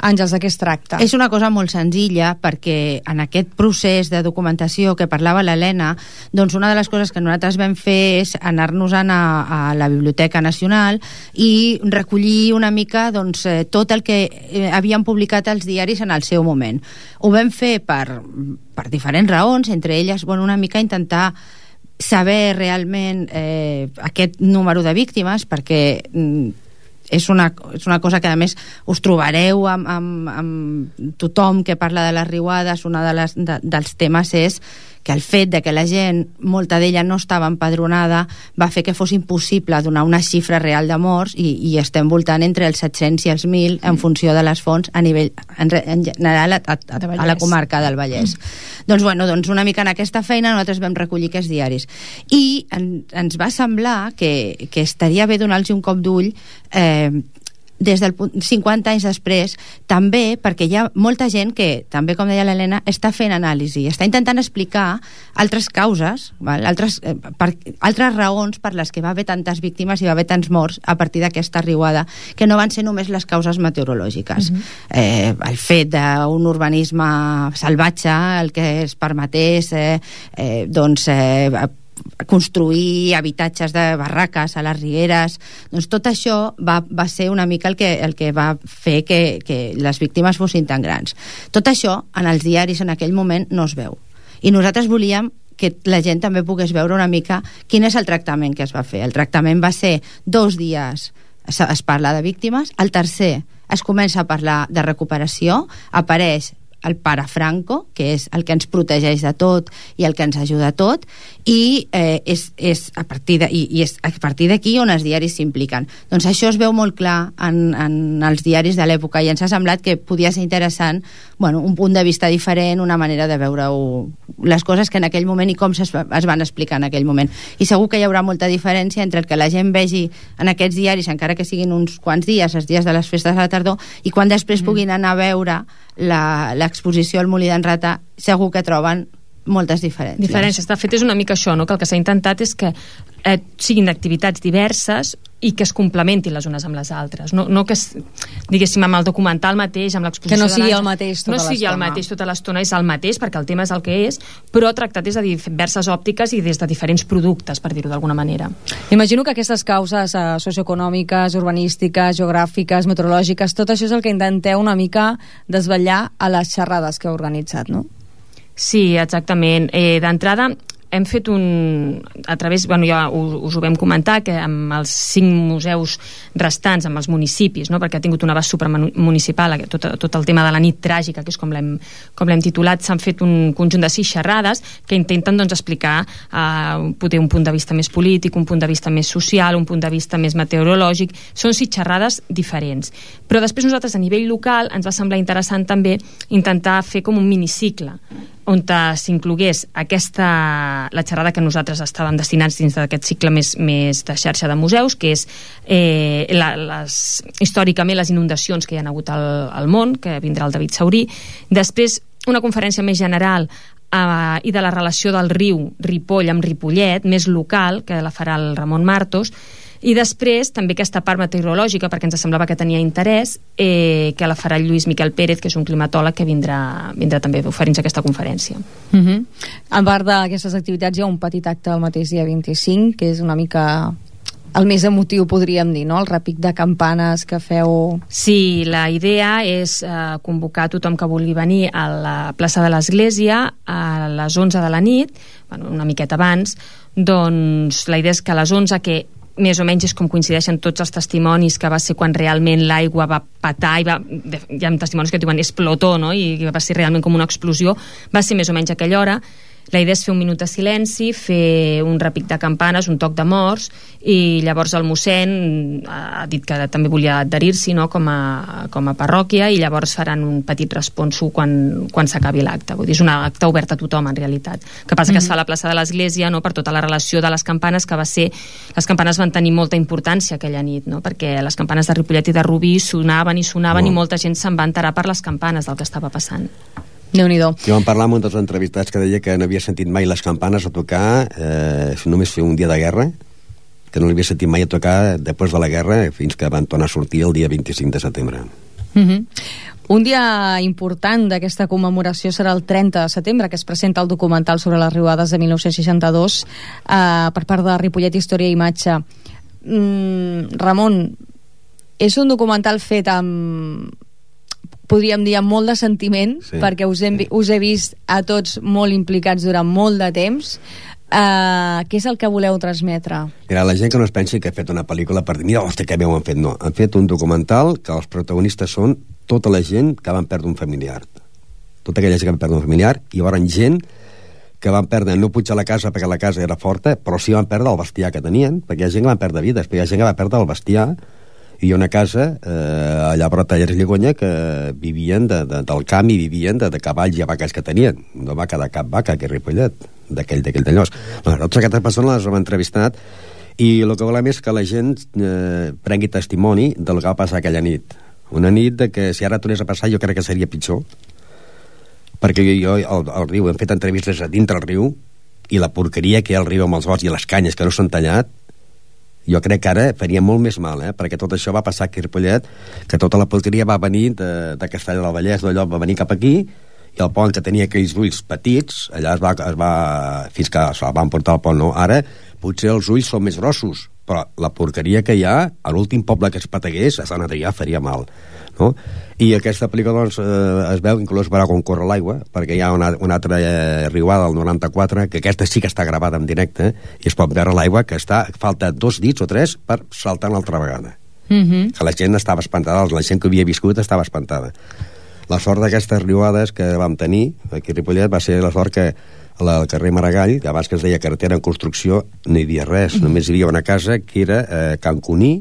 Àngels, de què es tracta? És una cosa molt senzilla, perquè en aquest procés de documentació que parlava l'Helena, doncs una de les coses que nosaltres vam fer és anar-nos-en a, a la Biblioteca Nacional i recollir una mica doncs, tot el que eh, havien publicat els diaris en el seu moment. Ho vam fer per, per diferents raons, entre elles bueno, una mica intentar saber realment eh, aquest número de víctimes, perquè mm, és una, és una cosa que a més us trobareu amb, amb, amb tothom que parla de les riuades. Una de les, de, dels temes és que el fet de que la gent, molta d'ella no estava empadronada, va fer que fos impossible donar una xifra real de morts, i, i estem voltant entre els set-cents i els mil en funció de les fonts a nivell en, en general a, a, a, a la comarca del Vallès. Mm. Doncs, bueno, doncs una mica en aquesta feina nosaltres vam recollir aquests diaris i en, ens va semblar que, que estaria bé donar-los un cop d'ull eh, des del cinquanta anys després, també perquè hi ha molta gent que, també com deia l'Helena, està fent anàlisi, està intentant explicar altres causes, val? Altres, eh, per, altres raons per les que va haver tantes víctimes i va haver tants morts a partir d'aquesta riuada, que no van ser només les causes meteorològiques. Uh-huh. eh, el fet d'un urbanisme salvatge, el que es permetés eh, eh, doncs eh, construir habitatges de barraques a les rieres, doncs tot això va, va ser una mica el que, el que va fer que, que les víctimes fossin tan grans. Tot això en els diaris en aquell moment no es veu, i nosaltres volíem que la gent també pogués veure una mica quin és el tractament que es va fer. El tractament va ser dos dies es, es parla de víctimes, al tercer es comença a parlar de recuperació, apareix el pare Franco, que és el que ens protegeix de tot i el que ens ajuda a tot, i eh, és, és a partir de, i, i és a partir d'aquí on els diaris s'impliquen. Doncs això es veu molt clar en, en els diaris de l'època, i ens ha semblat que podia ser interessant, bueno, un punt de vista diferent, una manera de veure les coses que en aquell moment i com es, es van explicar en aquell moment. I segur que hi haurà molta diferència entre el que la gent vegi en aquests diaris, encara que siguin uns quants dies, els dies de les festes de la tardor, i quan després puguin anar a veure la, l'exposició al Molí d'en Rata, segur que troben moltes diferències. Diferències. De fet, és una mica això, no? Que el que s'ha intentat és que eh, siguin activitats diverses i que es complementin les unes amb les altres. No, no que, es, diguéssim, amb el documental mateix, amb l'exposició... Que no sigui el mateix tota l'estona. No sigui el mateix tota l'estona, és el mateix, perquè el tema és el que és, però tractat des de diverses òptiques i des de diferents productes, per dir-ho d'alguna manera. Imagino que aquestes causes eh, socioeconòmiques, urbanístiques, geogràfiques, meteorològiques, tot això és el que intenteu una mica desvetllar a les xerrades que heu organitzat, no? Sí, exactament. Eh, d'entrada, hem fet un... a través, bueno, ja us, us ho vam comentar, que amb els cinc museus restants, amb els municipis, no? Perquè ha tingut un abast supramunicipal, tot, tot el tema de la nit tràgica, que és com l'hem, com l'hem titulat, s'han fet un conjunt de sis xerrades que intenten, doncs, explicar eh, poder un punt de vista més polític, un punt de vista més social, un punt de vista més meteorològic. Són sis xerrades diferents. Però després nosaltres, a nivell local, ens va semblar interessant també intentar fer com un minicicle, on s'inclogués aquesta, la xerrada que nosaltres estàvem destinats dins d'aquest cicle més, més de xarxa de museus, que és eh, la, les, històricament les inundacions que hi ha hagut al, al món, que vindrà el David Saurí. Després, una conferència més general eh, i de la relació del riu Ripoll amb Ripollet, més local, que la farà el Ramon Martos. I després també aquesta part meteorològica, perquè ens semblava que tenia interès, eh, que la farà el Lluís Miquel Pérez, que és un climatòleg que vindrà, vindrà també a oferir-nos aquesta conferència. Uh-huh. A part d'aquestes activitats hi ha un petit acte el mateix dia vint-i-cinc, que és una mica el més emotiu, podríem dir, no? El repic de campanes que feu... Sí, la idea és eh, convocar tothom que vulgui venir a la plaça de l'Església a les onze de la nit, bueno, una miqueta abans. Doncs la idea és que a les onze, que més o menys és com coincideixen tots els testimonis, que va ser quan realment l'aigua va petar i va, hi ha testimonis que diuen explotó, no? I va ser realment com una explosió, va ser més o menys a aquella hora. La idea és fer un minut de silenci, fer un repic de campanes, un toc de morts, i llavors el mossèn ha dit que també volia adherir-s'hi, no? com, a, com a parròquia, i llavors faran un petit responso quan, quan s'acabi l'acte. Vull dir, és un acte obert a tothom, en realitat. Que passa que mm-hmm. es fa a la plaça de l'Església, no? Per tota la relació de les campanes, que va ser... Les campanes van tenir molta importància aquella nit, no? Perquè les campanes de Ripollet i de Rubí sonaven i sonaven oh. i molta gent se'n va enterar per les campanes del que estava passant. Déu-n'hi-do. Jo vam parlar amb un dels entrevistats que deia que no havia sentit mai les campanes a tocar, eh, només fer un dia de guerra, que no l'havia sentit mai a tocar després de la guerra, fins que van tornar a sortir el dia vint-i-cinc de setembre. Mm-hmm. Un dia important d'aquesta commemoració serà el trenta de setembre, que es presenta el documental sobre les riuades de mil nou-cents seixanta-dos eh, per part de Ripollet Història i Imatge. Mm, Ramon, és un documental fet amb... podríem dir amb molt de sentiment, sí, perquè us, hem, sí. us he vist a tots molt implicats durant molt de temps. Uh, què és el que voleu transmetre? Mira, la gent que no es pensi que ha fet una pel·lícula per dir, mira, hòstia, que bé ho han fet. No, han fet un documental que els protagonistes són tota la gent que van perdre un familiar. Tota aquella gent que van perdre un familiar, i hi haurà gent que van perdre, no pujar a la casa perquè la casa era forta, però sí van perdre el bestiar que tenien, perquè hi ha gent que van perdre vides, perquè hi ha gent que va perdre el bestiar, i hi ha una casa eh, allà a Brotallers i Lligonya que vivien de, de, del camp i vivien de, de cavalls i vaques que tenien, no vaca de cap vaca, que és Ripollet, d'aquell d'aquell d'allòs. Bueno, totes aquestes persones les hem entrevistat i el que volem és que la gent eh, prengui testimoni del que va passar aquella nit. Una nit de que si ara tornés a passar jo crec que seria pitjor, perquè jo, jo al, al riu hem fet entrevistes a dintre el riu i la porqueria que hi ha al riu amb els gots i les canyes que no s'han tallat, jo crec que ara faria molt més mal, eh? Perquè tot això va passar aquí a Ripollet, que tota la porqueria va venir de, de Castellar del Vallès, d'allò va venir cap aquí, i el pont que tenia aquells ulls petits, allà es va, es va fins que se van portar al pont, no? Ara potser els ulls són més grossos, però la porqueria que hi ha, a l'últim poble que es pategués, a Sant Adrià faria mal, no? I aquesta pel·lícula doncs, eh, es veu, inclús veurà com corre l'aigua, perquè hi ha una, una altra eh, riuada del noranta-quatre, que aquesta sí que està gravada en directe, i es pot veure l'aigua que està, falta dos dits o tres per saltar una altra vegada. Mm-hmm. Que la gent estava espantada, la gent que havia viscut estava espantada. La sort d'aquestes riuades que vam tenir aquí a Ripollet va ser la sort que al carrer Maragall, que abans que es deia carretera en construcció, no hi havia res, mm-hmm. només hi havia una casa que era eh, Can Cuní,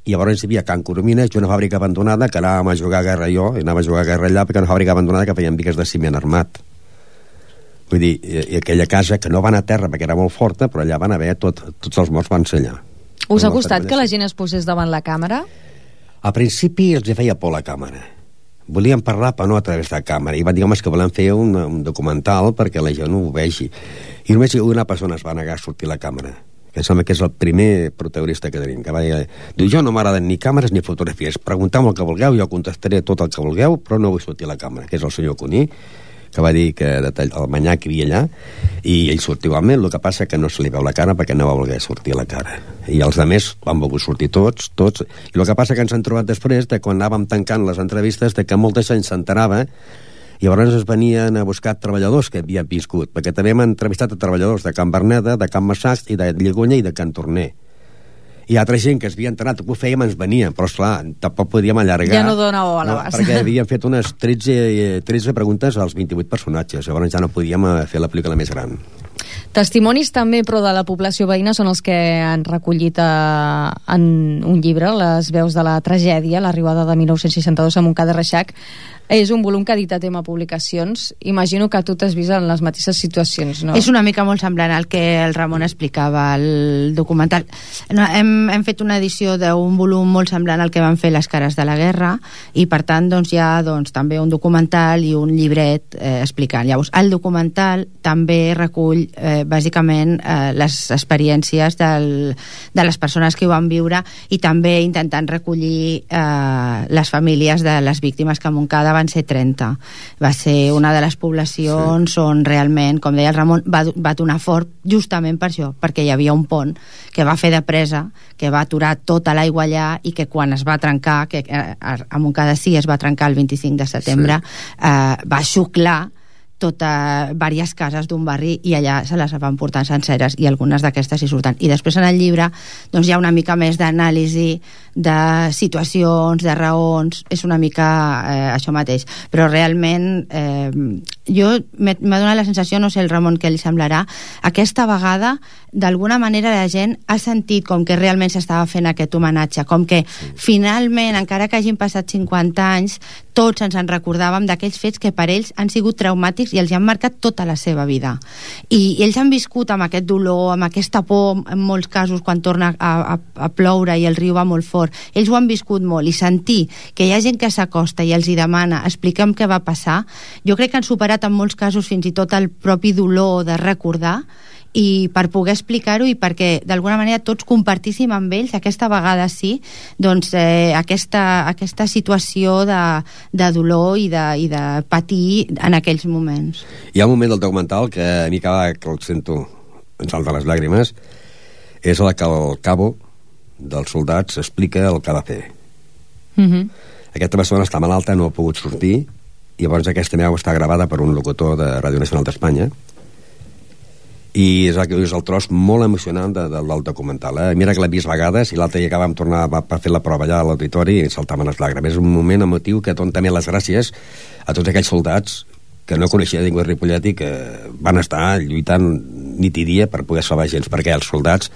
i llavors hi havia Can Coromines, una fàbrica abandonada que anàvem a jugar a guerra jo, i anàvem a jugar a guerra allà perquè una fàbrica abandonada que feien bigues de ciment armat. Vull dir, i, i aquella casa que no va anar a terra perquè era molt forta, però allà van haver, tot, tots els morts van ser allà. Us ha costat que la gent es posés davant la càmera? Al principi els feia por la càmera. Volíem parlar però no a través de la càmera, i van dir, home, és que volem fer un, un documental perquè la gent no ho vegi. I només una persona es va negar a sortir a la càmera, que em sembla que és el primer protagonista que tenim, que va dir, diu, jo no m'agraden ni càmeres ni fotografies, pregunteu-me el que vulgueu, jo contestaré tot el que vulgueu, però no vull sortir a la càmera, que és el senyor Cuní, que va dir que el manyà que hi havia allà, i ell sortiu amb ell, el que passa que no se li veu la cara perquè no va voler sortir a la cara. I els altres van volgut sortir tots, tots, i el que passa que ens han trobat després, de quan anàvem tancant les entrevistes, de que molta gent s'enterava, i llavors es venien a buscar treballadors que havien viscut, perquè també hem entrevistat a treballadors de Can Berneda, de Can Massacs i de Lligonya i de Can Torner. I altra gent que es havia enterat, que ho fèiem, ens venien, però esclar, tampoc podíem allargar. Ja no dona o a l'abast. No, perquè havíem fet unes tretze, tretze preguntes als vint-i-vuit personatges, llavors ja no podíem fer la pel·lícula més gran. Testimonis també, però de la població veïna, són els que han recollit a, en un llibre, Les veus de la tragèdia, l'arribada de mil nou-cents seixanta-dos a Montcada i Reixac. És un volum que ha editat Ema Publicacions. Imagino que tu t'has vist en les mateixes situacions, no? És una mica molt semblant al que el Ramon explicava al documental. No, hem, hem fet una edició d'un volum molt semblant al que van fer Les cares de la guerra, i per tant doncs, hi ha doncs, també un documental i un llibret eh, explicant. Llavors, el documental també recull eh, bàsicament eh, les experiències del, de les persones que ho van viure, i també intentant recollir eh, les famílies de les víctimes, que a Montcada van ser trenta. Va ser una de les poblacions sí. on realment, com deia el Ramon, va, va donar fort justament per això, perquè hi havia un pont que va fer de presa, que va aturar tota l'aigua allà, i que quan es va trencar, que a Montcada sí es va trencar el vint-i-cinc de setembre, sí. eh, va xuclar tota, diverses cases d'un barri, i allà se les van portar senceres, i algunes d'aquestes hi surten. I després en el llibre doncs, hi ha una mica més d'anàlisi de situacions, de raons, és una mica eh, això mateix, però realment eh, jo m'ha donat la sensació, no sé el Ramon què li semblarà, aquesta vegada d'alguna manera la gent ha sentit com que realment s'estava fent aquest homenatge, com que sí. finalment, encara que hagin passat cinquanta anys, tots ens en recordàvem d'aquells fets que per ells han sigut traumàtics i els han marcat tota la seva vida. I, i ells han viscut amb aquest dolor, amb aquesta por, en molts casos, quan torna a, a, a ploure i el riu va molt fort. Ells ho han viscut molt, i sentir que hi ha gent que s'acosta i els hi demana expliquem què va passar, jo crec que han superat en molts casos fins i tot el propi dolor de recordar, i per poder explicar-ho, i perquè d'alguna manera tots compartíssim amb ells, aquesta vegada sí, doncs eh, aquesta, aquesta situació de, de dolor i de, i de patir en aquells moments. Hi ha un moment del documental que a mi cada que el sento em salta les llàgrimes, és el que el cabo dels soldats explica el que ha de fer. Mm-hmm. Aquesta persona està malalta, no ha pogut sortir, i llavors aquesta veu està gravada per un locutor de Ràdio Nacional d'Espanya, i és, és el tros molt emocionant de, de, del documental. Eh? Mira que l'he vist vegades, i l'altre dia que vam tornar per fer la prova allà a l'auditori i saltaven les llàgrimes. És un moment emotiu que donen també les gràcies a tots aquells soldats que no coneixia ningú de Ripollet i que van estar lluitant nit i dia per poder salvar gent, perquè els soldats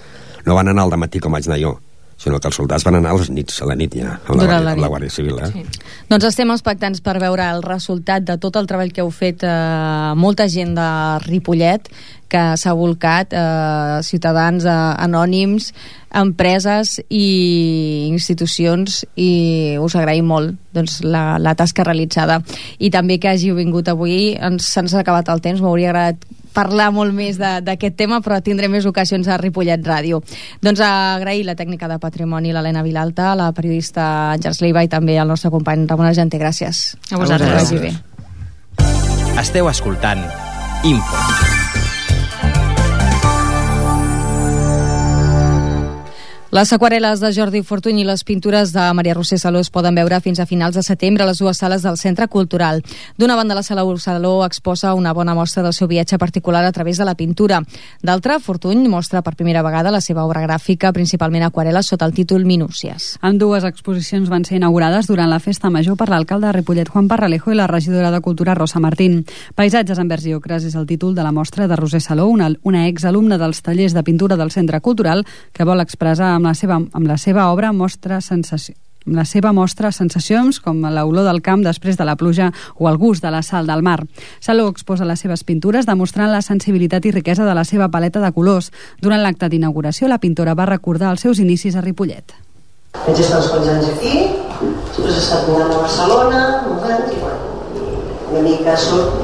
no van anar al dematí com vaig anar jo, sinó que els soldats van anar a les nits, a la nit ja, amb la, Guàrdia, amb la Guàrdia Civil. Eh? Sí. Doncs estem expectants per veure el resultat de tot el treball que heu fet eh, molta gent de Ripollet, que s'ha volcat, eh, ciutadans eh, anònims, empreses i institucions, i us agraïm molt doncs, la, la tasca realitzada. I també que hàgiu vingut avui. Ens, se'ns ha acabat el temps, m'hauria agradat parlar molt més d'aquest tema, però tindré més ocasions a Ripollet Ràdio. Doncs agrair la tècnica de patrimoni, l'Helena Vilalta, la periodista Àngels Leiva i també el nostre company Ramon Argenter. Gràcies. A vosaltres. Que vagi bé. Esteu escoltant Info. Les aquarel·les de Jordi Fortuny i les pintures de Maria Roser Saló es poden veure fins a finals de setembre a les dues sales del Centre Cultural. D'una banda, la sala Saló exposa una bona mostra del seu viatge particular a través de la pintura. D'altra, Fortuny mostra per primera vegada la seva obra gràfica, principalment aquarel·les, sota el títol Minúcies. En dues exposicions van ser inaugurades durant la Festa Major per l'alcalde de Ripollet, Juan Parralejo, i la regidora de Cultura, Rosa Martín. Paisatges en vers i ocres és el títol de la mostra de Roser Saló, una, una exalumna dels tallers de pintura del Centre Cultural, que vol expressar amb la seva, amb la seva obra mostra sensació, amb la seva mostra sensacions com l'olor del camp després de la pluja o el gust de la sal del mar. Saló exposa les seves pintures demostrant la sensibilitat i riquesa de la seva paleta de colors. Durant l'acte d'inauguració, la pintora va recordar els seus inicis a Ripollet. Vaig estar uns quants anys aquí, després he estat mirant a Barcelona, molts anys, i bueno, una mica soc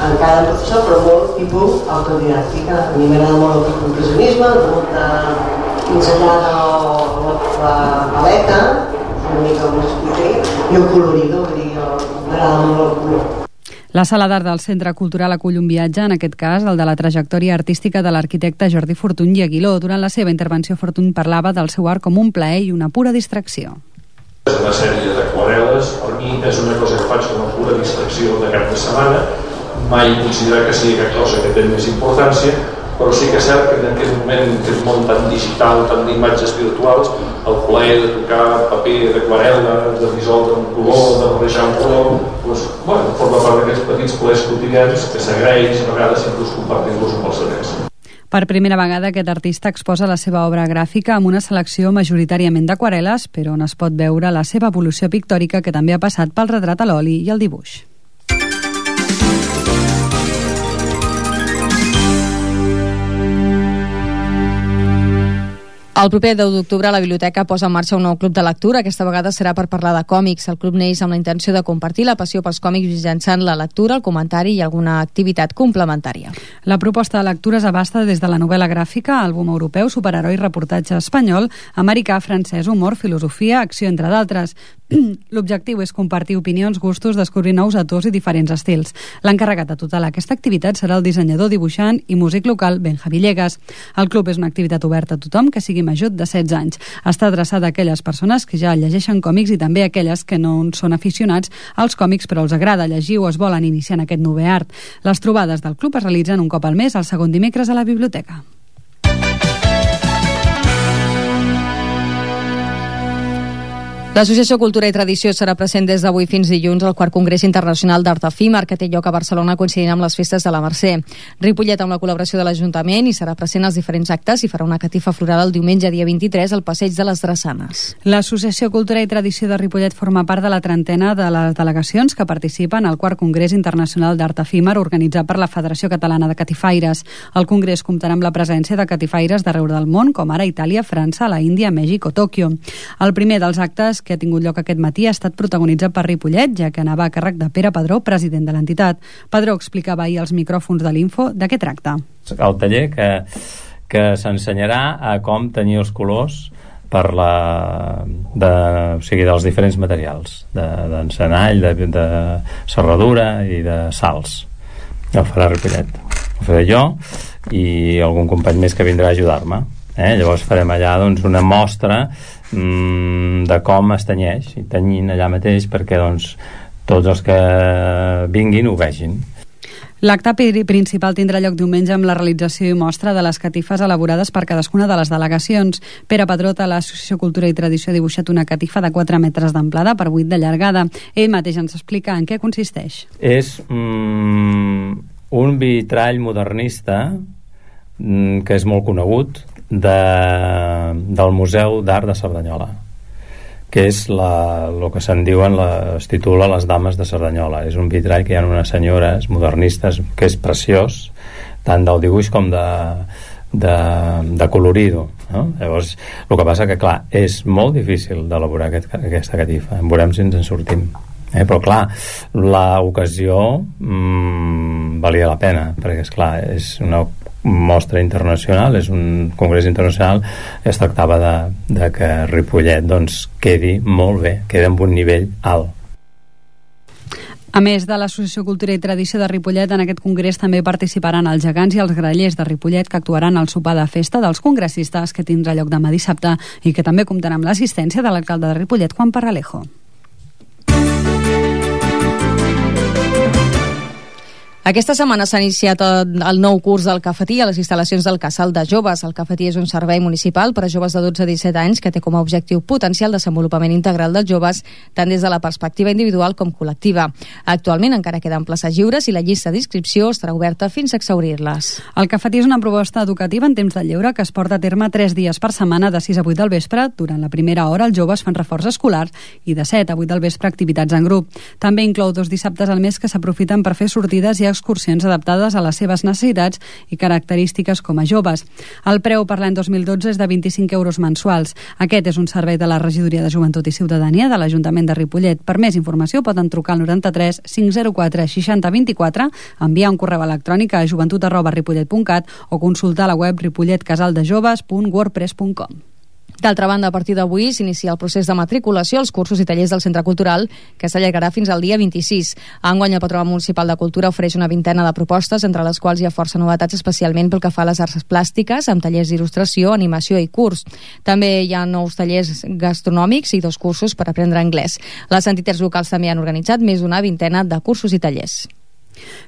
encara en professor, però molt tipus autodidàctica. A mi m'agrada molt el impressionisme, molt de pinzellar la, la paleta, una mica com expliqué, i el colorido, vull dir, m'agrada molt el color. La sala d'art del Centre Cultural acull un viatge, en aquest cas el de la trajectòria artística de l'arquitecte Jordi Fortuny i Aguiló. Durant la seva intervenció, Fortuny parlava del seu art com un plaer i una pura distracció. Una sèrie d'aquarel·les, per mi és una cosa que faig com a pura distracció de cap de setmana. Mai considerar que sigui una cosa que té més importància, però sí que és cert que en aquest moment, en aquest món tan digital, tan d'imatges virtuals, el plaer de tocar paper d'aquarel·la, de dissoldre un color, de barrejar un color, doncs, bueno, forma part d'aquests petits plaers quotidians que s'agraeix, a vegades sempre us compartim-los amb els altres. Per primera vegada, aquest artista exposa la seva obra gràfica amb una selecció majoritàriament d'aquarel·les, però on es pot veure la seva evolució pictòrica, que també ha passat pel retrat a l'oli i el dibuix. El proper deu d'octubre la biblioteca posa en marxa un nou club de lectura. Aquesta vegada serà per parlar de còmics. El club neix amb la intenció de compartir la passió pels còmics mitjançant la lectura, el comentari i alguna activitat complementària. La proposta de lectures abasta des de la novel·la gràfica, àlbum europeu, superheroi, reportatge espanyol, americà, francès, humor, filosofia, acció, entre d'altres. L'objectiu és compartir opinions, gustos, descobrir nous autors i diferents estils. L'encarregat de tota aquesta activitat serà el dissenyador, dibuixant i músic local Benja Villegas. El club és una activitat oberta a tothom que sigui major de setze anys. Està adreçada a aquelles persones que ja llegeixen còmics i també a aquelles que no són aficionats als còmics però els agrada llegir o es volen iniciar en aquest nou art. Les trobades del club es realitzen un cop al mes, el segon dimecres a la biblioteca. L'Associació Cultura i Tradició serà present des d'avui fins dilluns al quart Congrés Internacional d'Art Efímer, que té lloc a Barcelona coincidint amb les festes de la Mercè. Ripollet, amb la col·laboració de l'Ajuntament, hi serà present als diferents actes i farà una catifa floral el diumenge dia vint-i-tres al Passeig de les Drassanes. L'Associació Cultura i Tradició de Ripollet forma part de la trentena de les delegacions que participen al quart Congrés Internacional d'Art Efímer organitzat per la Federació Catalana de Catifaires. El Congrés comptarà amb la presència de catifaires d'arreu del món, com ara Itàlia, França, la Índia, Mèxic o Tòquio. El primer dels actes que ha tingut lloc aquest matí ha estat protagonitzat per Ripollet, ja que anava a càrrec de Pere Padró, president de l'entitat. Padró explicava ahir als micròfons de l'Info de què tracta. El taller que, que s'ensenyarà a com tenir els colors per la, de, o sigui, dels diferents materials, d'encenall, de, de, de serradura i de salts. Ho farà Ripollet. Ho faré jo i algun company més que vindrà a ajudar-me. Eh? Llavors farem allà doncs, una mostra mm, de com es tenyeix i tenyint allà mateix perquè doncs, tots els que vinguin ho vegin. L'acte principal tindrà lloc diumenge amb la realització i mostra de les catifes elaborades per cadascuna de les delegacions. Pere Padrot, a l'Associació Cultura i Tradició, ha dibuixat una catifa de quatre metres d'amplada per vuit de llargada. Ell mateix ens explica en què consisteix. És mm, un vitrall modernista mm, que és molt conegut de, del Museu d'Art de Cerdanyola, que és la, el que se'n diuen la, es titula Les Dames de Cerdanyola. És un vitrall que hi ha unes senyores modernistes que és preciós, tant del dibuix com de, de, de colorir-ho, no? Llavors, el que passa que, clar, és molt difícil d'elaborar aquest, aquesta catifa. En veurem si ens en sortim. Eh, però clar, l'ocasió mmm, valia la pena, perquè esclar, és una mostra internacional, és un congrés internacional, es tractava de, de que Ripollet doncs quedi molt bé, quedi amb un nivell alt. A més de l'Associació Cultura i Tradició de Ripollet, en aquest congrés també participaran els gegants i els grallers de Ripollet, que actuaran al sopar de festa dels congressistes, que tindrà lloc demà dissabte i que també comptarà amb l'assistència de l'alcalde de Ripollet, Juan Parralejo. Aquesta setmana s'ha iniciat el nou curs del Cafetí a les instal·lacions del Casal de Joves. El Cafetí és un servei municipal per a joves de dotze a disset anys que té com a objectiu potenciar el desenvolupament integral dels joves, tant des de la perspectiva individual com col·lectiva. Actualment encara queden places lliures i la llista d'inscripció estarà oberta fins a exhaurir-les. El Cafetí és una proposta educativa en temps de lleure que es porta a terme tres dies per setmana de sis a vuit del vespre. Durant la primera hora els joves fan reforç escolar i de set a vuit del vespre activitats en grup. També inclou dos dissabtes al mes que s'aprofiten per fer sortides i excursions adaptades a les seves necessitats i característiques com a joves. El preu per l'any dos mil dotze és de vint-i-cinc euros mensuals. Aquest és un servei de la Regidoria de Joventut i Ciutadania de l'Ajuntament de Ripollet. Per més informació poden trucar al noranta-tres cinc zero quatre seixanta vint-i-quatre, enviar un correu electrònic a joventut arroba ripollet punt cat o consultar la web ripollet casal de joves punt wordpress punt com. D'altra banda, a partir d'avui s'inicia el procés de matriculació als cursos i tallers del Centre Cultural, que s'allargarà fins al dia vint-i-sis. Enguany, el Patronat Municipal de Cultura ofereix una vintena de propostes, entre les quals hi ha força novetats, especialment pel que fa a les arts plàstiques, amb tallers d'il·lustració, animació i curs. També hi ha nous tallers gastronòmics i dos cursos per aprendre anglès. Les entitats locals també han organitzat més d'una vintena de cursos i tallers.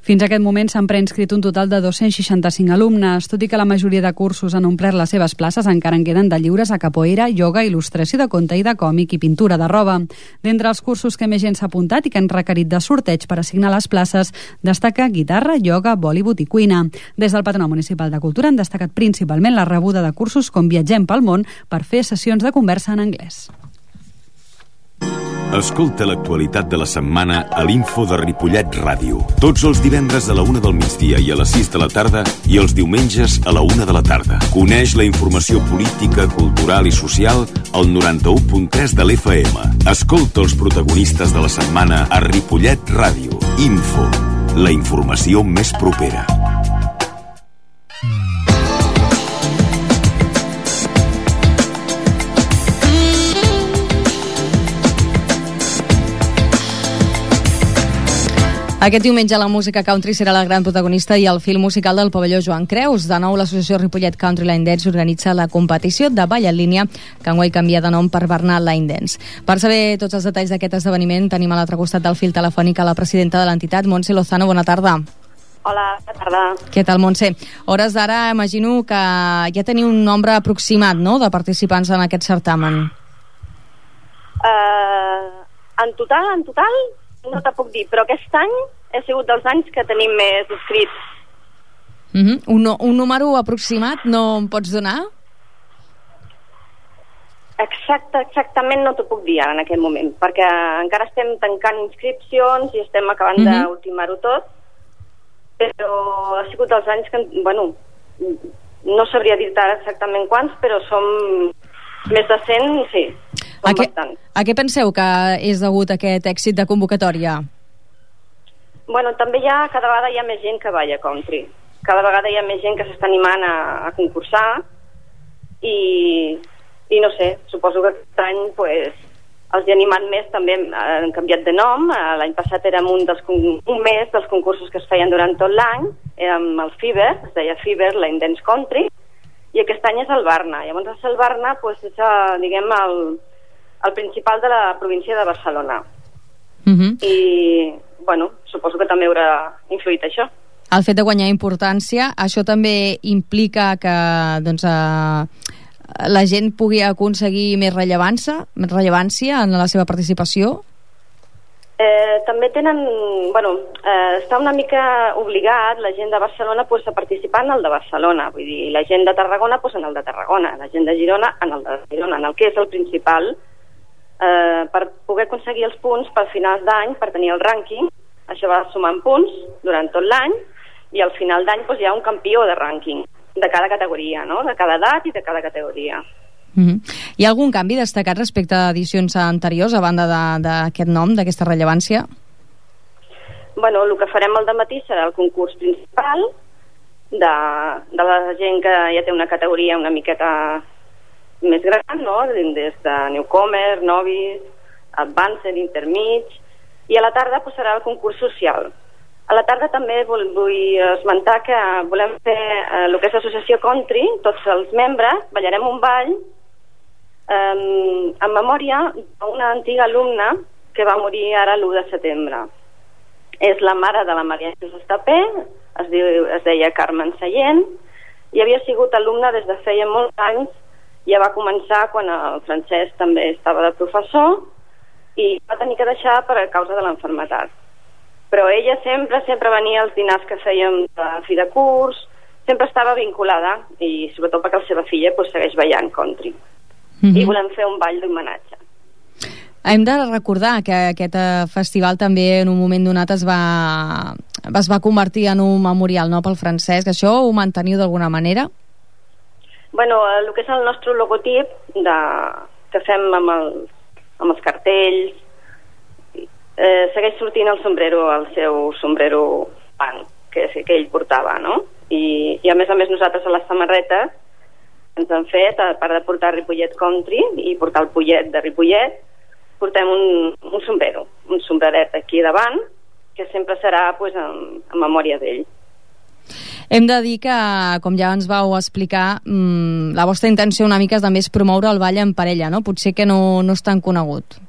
Fins a aquest moment s'han preinscrit un total de dos-cents seixanta-cinc alumnes. Tot i que la majoria de cursos han omplert les seves places, encara en queden de lliures a capoeira, ioga, il·lustració de conte i de còmic i pintura de roba. D'entre els cursos que més gent s'ha apuntat i que han requerit de sorteig per assignar les places, destaca guitarra, ioga, Bollywood i cuina. Des del Patronat Municipal de Cultura han destacat principalment la rebuda de cursos com Viatgem pel món per fer sessions de conversa en anglès. Escolta l'actualitat de la setmana a l'Info de Ripollet Ràdio. Tots els divendres a la una del migdia i a les sis de la tarda i els diumenges a la una de la tarda. Coneix la informació política, cultural i social al noranta-u punt tres de l'F M. Escolta els protagonistes de la setmana a Ripollet Ràdio. Info, la informació més propera. Aquest diumenge la música country serà la gran protagonista i el fil musical del pavelló Joan Creus. De nou, l'associació Ripollet Country Line Dance organitza la competició de ball en línia, que enguany canvia de nom per Bernal Line Dance. Per saber tots els detalls d'aquest esdeveniment, tenim a l'altre costat del fil telefònic a la presidenta de l'entitat, Montse Lozano. Bona tarda. Hola, bona tarda. Què tal, Montse? Hores d'ara, imagino que ja teniu un nombre aproximat, no?, de participants en aquest certamen. Uh, en total, en total, no te puc dir, però aquest any ha sigut dels anys que tenim més inscrits. Uh -huh. un, un número aproximat no em pots donar? Exacte, exactament no t'ho puc dir ara en aquest moment, perquè encara estem tancant inscripcions i estem acabant uh -huh. d'ultimar-ho tot, però ha sigut dels anys que, bueno, no sabria dir-te ara exactament quants, però som més de cent, sí. A què, a què penseu que és degut a aquest èxit de convocatòria? Bueno, també hi ha, cada vegada hi ha més gent que balla country. Cada vegada hi ha més gent que s'està animant a, a concursar i, i no sé, suposo que aquest any pues, els hi ha animat més, també han canviat de nom. L'any passat érem un, dels, un mes dels concursos que es feien durant tot l'any, érem el Fever, es deia Fever, Line Dance Country, i aquest any és el Barna. Llavors el Barna pues, és, diguem, el, el principal de la província de Barcelona. Uh-huh. I, bueno, suposo que també haurà influït això. el fet de guanyar importància, això també implica que doncs, eh, la gent pugui aconseguir més rellevància, més rellevància en la seva participació? Eh, també tenen, bueno, eh, està una mica obligat la gent de Barcelona pues, a participar en el de Barcelona, vull dir, la gent de Tarragona pues, en el de Tarragona, la gent de Girona en el de Girona, en el que és el principal, eh, per poder aconseguir els punts per finals d'any, per tenir el rànquing. Això va sumant punts durant tot l'any i al final d'any pues, hi ha un campió de rànquing de cada categoria, no? De cada edat i de cada categoria. Mm-hmm. Hi ha algun canvi destacat respecte a edicions anteriors a banda d'aquest nom, d'aquesta rellevància? Bueno, el que farem al dematí serà el concurs principal de, de la gent que ja té una categoria una miqueta més gran, no? Des de newcomer, novice, advanced, intermig, i a la tarda pues, serà el concurs social. A la tarda també vull, vull esmentar que volem fer eh, el que és l'associació country, tots els membres, ballarem un ball eh, en memòria d'una antiga alumna que va morir ara l'u de setembre. És la mare de la Maria Jesús Estapé, es, diu, es deia Carmen Sallent, i havia sigut alumna des de feia molts anys, ja va començar quan el Francesc també estava de professor i va tenir que deixar per a causa de l'enfermetat. Però ella sempre, sempre venia als dinars que fèiem de fi de curs, sempre estava vinculada, i sobretot perquè la seva filla pues, segueix ballant country. Mm-hmm. I volem fer un ball d'homenatge. Hem de recordar que aquest festival també en un moment donat es va, es va convertir en un memorial, no?, pel Francesc. Això ho manteniu d'alguna manera? Bueno, el que és el nostre logotip de, que fem amb, el, amb els cartells, Eh, segueix sortint el sombrero, el seu sombrero punk que, que ell portava, no? I, i a més a més nosaltres a les samarretes ens han fet, a part de portar Ripollet Country i portar el pollet de Ripollet, portem un, un sombrero, un sombreret aquí davant, que sempre serà pues, en, en memòria d'ell. Hem de dir que, com ja ens vau explicar, mmm, la vostra intenció una mica també és promoure el ball en parella, no? Potser que no, no és tan conegut.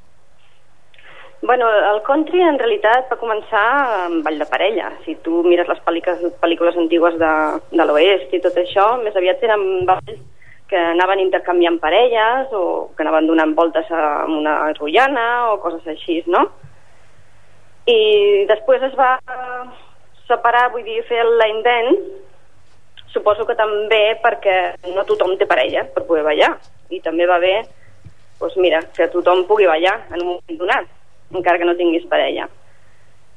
Bueno, el country en realitat va començar amb ball de parella. Si tu mires les pel·lícules, pel·lícules antigues de, de l'oest i tot això, més aviat eren balls que anaven intercanviant parelles o que anaven donant voltes a una rotllana o coses així, no? I després es va separar, vull dir, fer el line dance, suposo que també perquè no tothom té parella per poder ballar. I també va bé, doncs mira, que tothom pugui ballar en un moment donat, encara que no tinguis parella.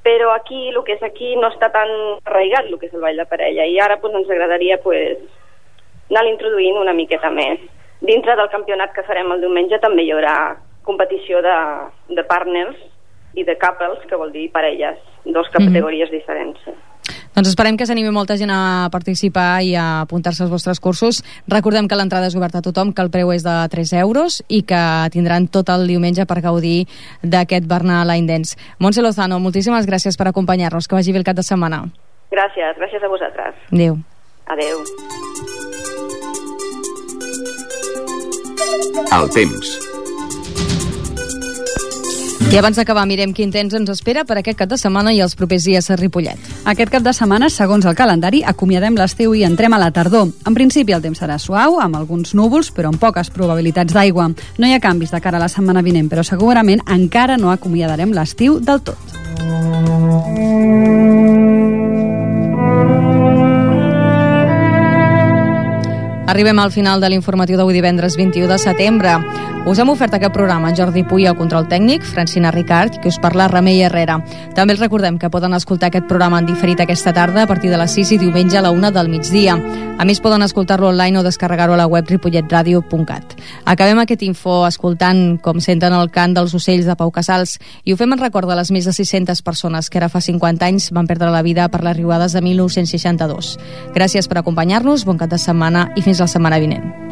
Però aquí, el que és aquí, no està tan arraigat el que és el ball de parella, i ara pues, ens agradaria pues, anar introduint una miqueta més. Dintre del campionat que farem el diumenge també hi haurà competició de, de partners i de couples, que vol dir parelles, dos categories mm-hmm. diferents. Doncs esperem que s'animi molta gent a participar i a apuntar-se als vostres cursos. Recordem que l'entrada és oberta a tothom, que el preu és de tres euros i que tindran tot el diumenge per gaudir d'aquest Barna Line Dance. Montse Lozano, moltíssimes gràcies per acompanyar-nos. Que vagi bé el cap de setmana. Gràcies, gràcies a vosaltres. Adéu. Adéu. El temps. I abans d'acabar, mirem quin temps ens espera per aquest cap de setmana i els propers dies a Ripollet. Aquest cap de setmana, segons el calendari, acomiadem l'estiu i entrem a la tardor. En principi el temps serà suau, amb alguns núvols, però amb poques probabilitats d'aigua. No hi ha canvis de cara a la setmana vinent, però segurament encara no acomiadarem l'estiu del tot. Arribem al final de l'informatiu d'avui divendres vint-i-u de setembre. Us hem ofert aquest programa en Jordi Puy al control tècnic, Francina Ricard, que us parla Remei Herrera. També els recordem que poden escoltar aquest programa en diferit aquesta tarda a partir de les sis i diumenge a la una del migdia. A més, poden escoltar-lo online o descarregar-ho a la web ripollet radio punt cat. Acabem aquest info escoltant com senten el cant dels ocells de Pau Casals i ho fem en record de les més de sis-centes persones que ara fa cinquanta anys van perdre la vida per les riuades de mil nou-cents seixanta-dos. Gràcies per acompanyar-nos, bon cap de setmana i fins la setmana vinent.